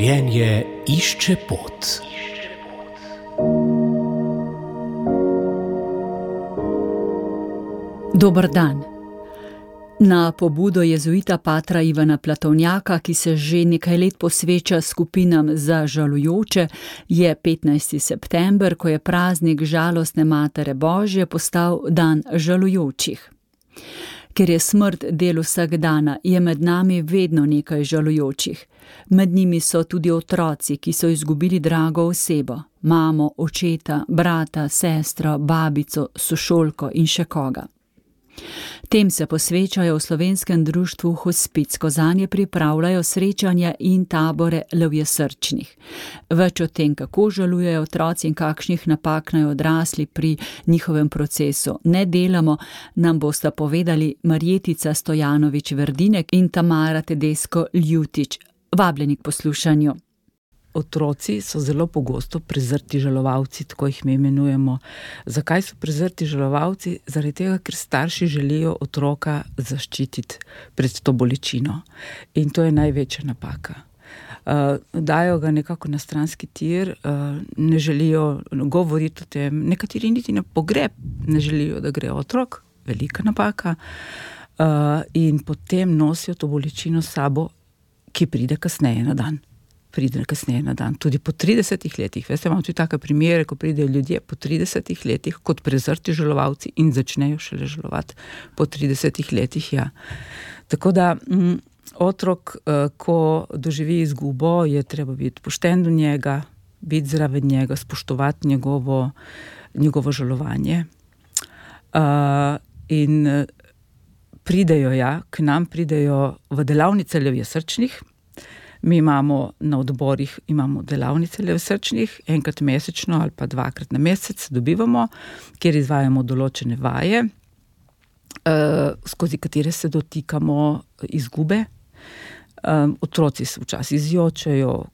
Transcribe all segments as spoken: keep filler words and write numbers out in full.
Življenje išče pot. Dober dan. Na pobudo jezuita patra Ivana Platovnjaka, ki se že nekaj let posveča skupinam za žalujoče, je petnajsti september, ko je praznik žalostne Matere Božje, postal dan žalujočih. Ker je smrt del vsakdana, je med nami vedno nekaj žalujočih. Med njimi so tudi otroci, ki so izgubili drago osebo, mamo, očeta, brata, sestro, babico, sošolko in še koga. Tem se posvečajo v slovenskem društvu Hospic, ko zanje pripravljajo srečanja in tabore levjesrčnih. Več o tem, kako žalujejo otroci in kakšnih napak naj odrasli pri njihovem procesu ne delamo, nam bosta povedali Marjetica Stojanović Verdinek in Tamara Tedesko Ljutič. Vabljeni k poslušanju. Otroci so zelo pogosto prezrti žalovalci, tako jih mi imenujemo. Zakaj so prezrti žalovalci? Zaradi tega, ker starši želijo otroka zaščititi pred to bolečino. In to je največja napaka. Uh, dajo ga nekako na stranski tir, uh, ne želijo govoriti o tem, nekateri niti na pogreb ne želijo, da gre otrok, velika napaka, uh, in potem nosijo to bolečino s sabo, ki pride kasneje na dan. pride kasneje na dan. Tudi po tridesetih letih. Veste, imam tudi take primere, ko pridejo ljudje po tridesetih letih kot prezrti žalovalci in začnejo šele žalovati po tridesetih letih, ja. Tako da m, otrok, ko doživi izgubo, je treba biti pošten do njega, biti zraven njega, spoštovati njegovo, njegovo žalovanje. Uh, in pridejo, ja, k nam pridejo v delavnice levjesrčnih. Mi imamo na odborih imamo delavnice levjesrčnih, enkrat mesečno ali pa dvakrat na mesec dobivamo, kjer izvajamo določene vaje, uh, skozi katere se dotikamo izgube. Um, otroci se včasih zjočajo,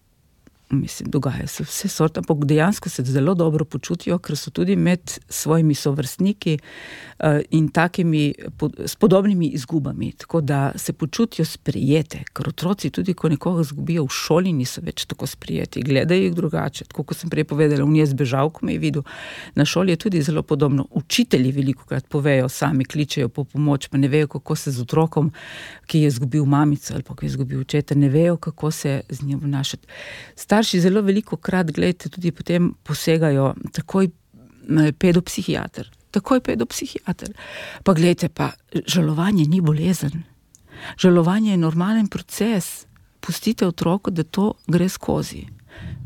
mislim, dogaja se vse sorte, ampak dejansko se zelo dobro počutijo, ker so tudi med svojimi sovrstniki uh, in takimi pod, s podobnimi izgubami, tako da se počutijo sprijete, ker otroci tudi, ko nekoga izgubijo v šoli, niso več tako sprijeti, gledajo jih drugače, tako kot sem prej povedala, on je zbežal, ko me je videl. Na šoli je tudi zelo podobno. Učitelji velikokrat povejo, sami kličejo po pomoč, pa ne vejo, kako se z otrokom, ki je izgubil mamico ali pa ki je izgubil očeta, ne vejo, kako se z njim obnašati. Starši zelo veliko krat, gledajte, tudi potem posegajo takoj pedopsihiater. Takoj pedopsihiater. Pa gledajte, pa žalovanje ni bolezen. Žalovanje je normalen proces. Pustite otroku, da to gre skozi.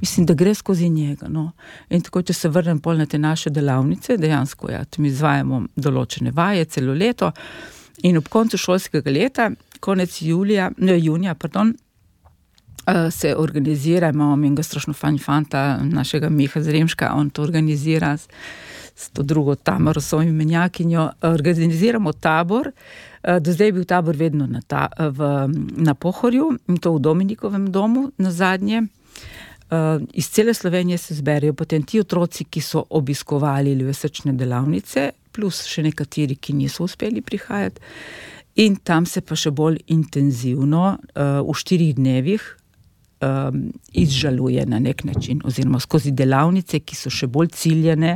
Mislim, da gre skozi njega. No. In tako, če se vrnem pol na te naše delavnice, dejansko, ja, mi izvajamo določene vaje celo leto in ob koncu šolskega leta, konec julija, ne, junija, pardon, se organizira, imamo enega strašno fajn fanta, našega Miha Zremška, on to organizira s, s to drugo Tamaro, svojim menjakinjo. Organiziramo tabor, do zdaj je bil tabor vedno na, ta, v, na Pohorju, in to v Dominikovem domu na zadnje. Iz cele Slovenije se zberejo potem ti otroci, ki so obiskovali levjesrčne delavnice, plus še nekateri, ki niso uspeli prihajati. In tam se pa še bolj intenzivno v štirih dnevih Um, izžaluje na nek način, oziroma skozi delavnice, ki so še bolj ciljene,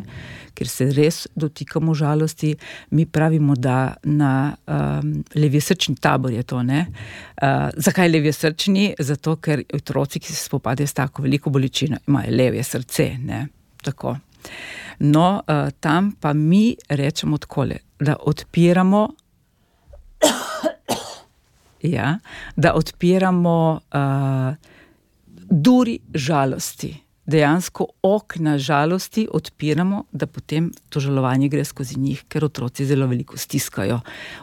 ker se res dotikamo žalosti. Mi pravimo, da na um, levjesrčni tabor je to, ne? Uh, zakaj levjesrčni? Zato, ker otroci, ki se spopadajo s tako veliko bolečino, imajo levje srce, ne? Tako. No, uh, tam pa mi rečemo takole, da odpiramo ja, da odpiramo uh, duri žalosti. Dejansko okna žalosti odpiramo, da potem to žalovanje gre skozi njih, ker otroci zelo veliko stiskajo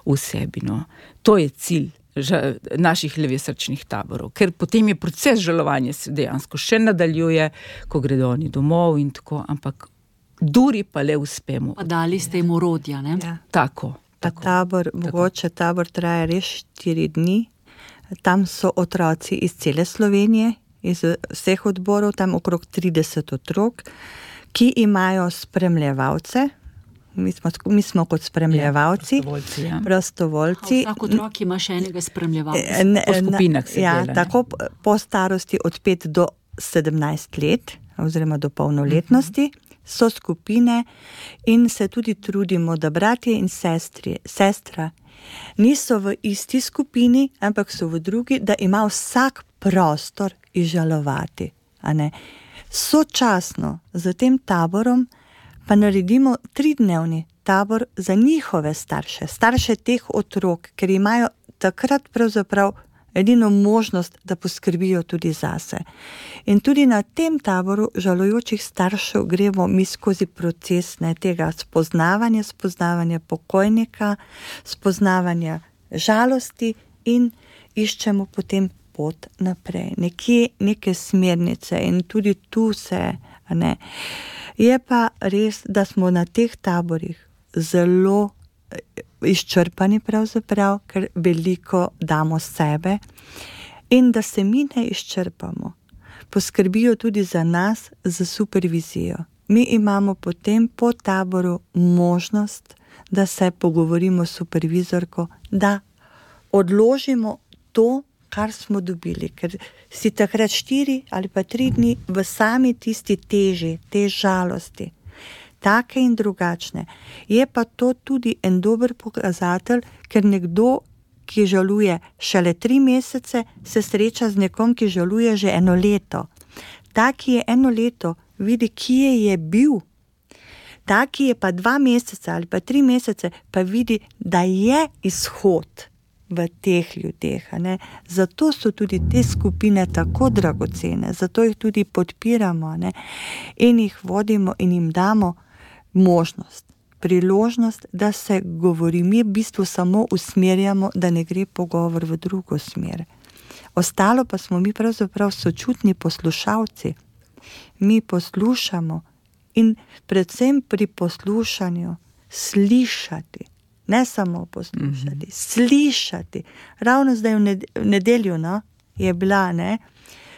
v sebi. No. To je cilj ža- naših levjesrčnih taborov, ker potem je proces žalovanja se dejansko še nadaljuje, ko gredo oni domov in tako, ampak duri pa le uspemo. Pa dali ste jim orodja, ne? Ja. Tako. tako tabor, tako. Mogoče tabor traja res štiri dni. Tam so otroci iz cele Slovenije, iz vseh odborov, tam okrog trideset otrok, ki imajo spremljevalce, Mi smo, mi smo kot spremljevalci, ja, prostovoljci. Ja. prostovoljci. Vsak otrok ima še enega spremljevalca. Po skupinah se ja, dela. Tako po starosti od pet do sedemnajst let oziroma do polnoletnosti, so skupine in se tudi trudimo, da bratje in sestri, sestra niso v isti skupini, ampak so v drugi, da ima vsak prostor izžalovati. A ne? Sočasno z tem taborom pa naredimo tridnevni tabor za njihove starše, starše teh otrok, ker imajo takrat pravzaprav edino možnost, da poskrbijo tudi zase. In tudi na tem taboru žalujočih staršev gremo mi skozi proces ne, tega spoznavanja, spoznavanja pokojnika, spoznavanja žalosti in iščemo potem pot naprej. Nekje neke smernice in tudi tu se, ne. Je pa res, da smo na teh taborih zelo izčrpani pravzaprav, ker veliko damo sebe in da se mi ne izčrpamo. Poskrbijo tudi za nas za supervizijo. Mi imamo potem po taboru možnost, da se pogovorimo s supervizorko, da odložimo to, kar smo dobili, ker si takrat štiri ali pa tri dni v sami tisti teži, te žalosti. Take in drugačne. Je pa to tudi en dober pokazatelj, ker nekdo, ki žaluje šele tri mesece, se sreča z nekom, ki žaluje že eno leto. Ta, ki je eno leto, vidi, kje je bil. Ta, ki je pa dva meseca ali pa tri mesece, pa vidi, da je izhod v teh ljudeh. Ne? Zato so tudi te skupine tako dragocene, zato jih tudi podpiramo, ne? In jih vodimo in jim damo možnost, priložnost, da se govori. Mi v bistvu samo usmerjamo, da ne gre pogovor v drugo smer. Ostalo pa smo mi pravzaprav sočutni poslušalci. Mi poslušamo in predvsem pri poslušanju slišati, ne samo poslušati, mm-hmm. slišati. Ravno zdaj v nedeljo no, je bila ne,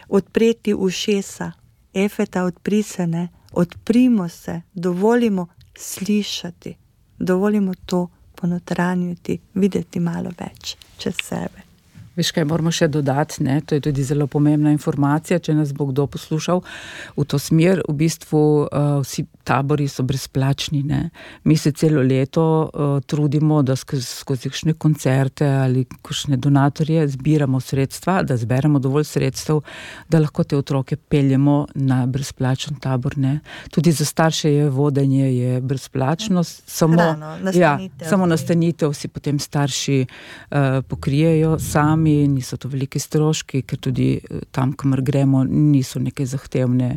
odpreti ušesa, Efeta odpri se, ne, odprimo se, dovolimo slišati, dovolimo to ponotranjiti, videti malo več čez sebe. Veš, kaj moramo še dodati, ne? To je tudi zelo pomembna informacija, če nas bo kdo poslušal v to smer. V bistvu uh, vsi tabori so brezplačni, ne? Mi se celo leto uh, trudimo, da skozi, skozi kakšne koncerte ali kakšne donatorje zbiramo sredstva, da zberemo dovolj sredstev, da lahko te otroke peljemo na brezplačen tabor, ne? Tudi za starše je vodenje je brezplačno, samo, Hrano, nastanitev. Ja, samo nastanitev si potem starši uh, pokrijejo sami. Niso to veliki stroški, ker tudi tam, kamor gremo, niso neke zahtevne.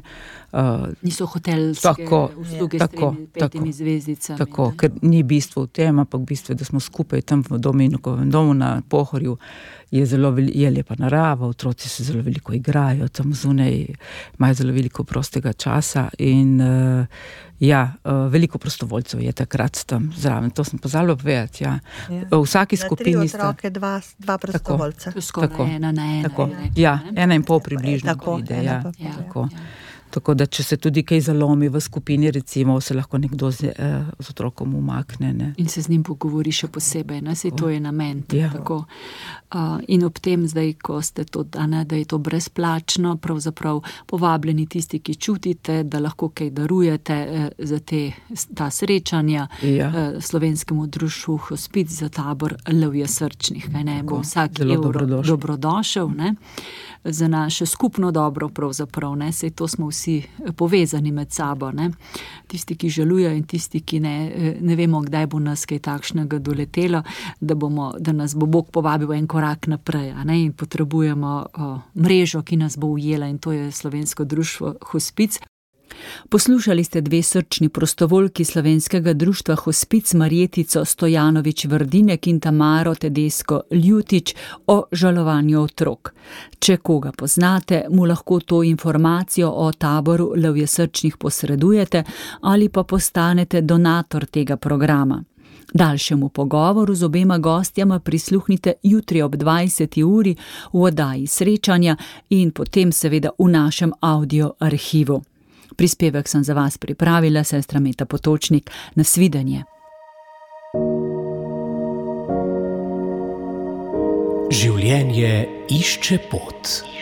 Uh, niso hotelske tako, usluge tako, s tremi, petimi zvezdicami. Tako, ker ni bistvo v tem, ampak bistvo je, da smo skupaj tam v Dominikovem domu na Pohorju. Je zelo je lepa narava, otroci se zelo veliko igrajo, tam zunaj imajo zelo veliko prostega časa in uh, ja, uh, veliko prostovoljcev je takrat tam zraven. To sem pozabila povedati, ja. Ja. V vsaki skupini sta... Na tri otroke, dva, dva prostovoljca. To skoraj ena na ena. Tako. Rekla, ja, ena in pol približno tako, pride, ja. Ja, Tako. ja. Tako da, če se tudi kaj zalomi v skupini, recimo, se lahko nekdo z, eh, z otrokom umakne. Ne? In se z njim pogovori še posebej, ne? Saj to je namen. Ja. Tako. Uh, in ob tem zdaj, ko ste to, da, ne, da je to brezplačno, pravzaprav povabljeni tisti, ki čutite, da lahko kaj darujete eh, za te, ta srečanja Ja. eh, slovenskemu društvu Hospic za tabor Levje srčnih. Kaj ne? Bo vsak zelo evro dobrodošel. dobrodošel, ne? Za naše skupno dobro pravzaprav, ne, sej to smo vsi povezani med sabo, ne. Tisti, ki žalujejo in tisti, ki ne, ne vemo, kdaj bo nas kaj takšnega doletelo, da bomo, da nas bo Bog povabil en korak naprej, a ne, in potrebujemo o, mrežo, ki nas bo ujela in to je Slovensko društvo Hospic. Poslušali ste dve srčni prostovoljki Slovenskega društva Hospic, Marjetico Stojanović-Vrdinek in Tamaro Tedesko Ljutič o žalovanju otrok. Če koga poznate, mu lahko to informacijo o taboru Levje srčnih posredujete ali pa postanete donator tega programa. Daljšemu pogovoru z obema gostjama prisluhnite jutri ob dvajseti uri v oddaji Srečanja in potem seveda v našem audio arhivu. Prispevek sem za vas pripravila, sestra Meta Potočnik. Nasvidenje. Življenje išče pot.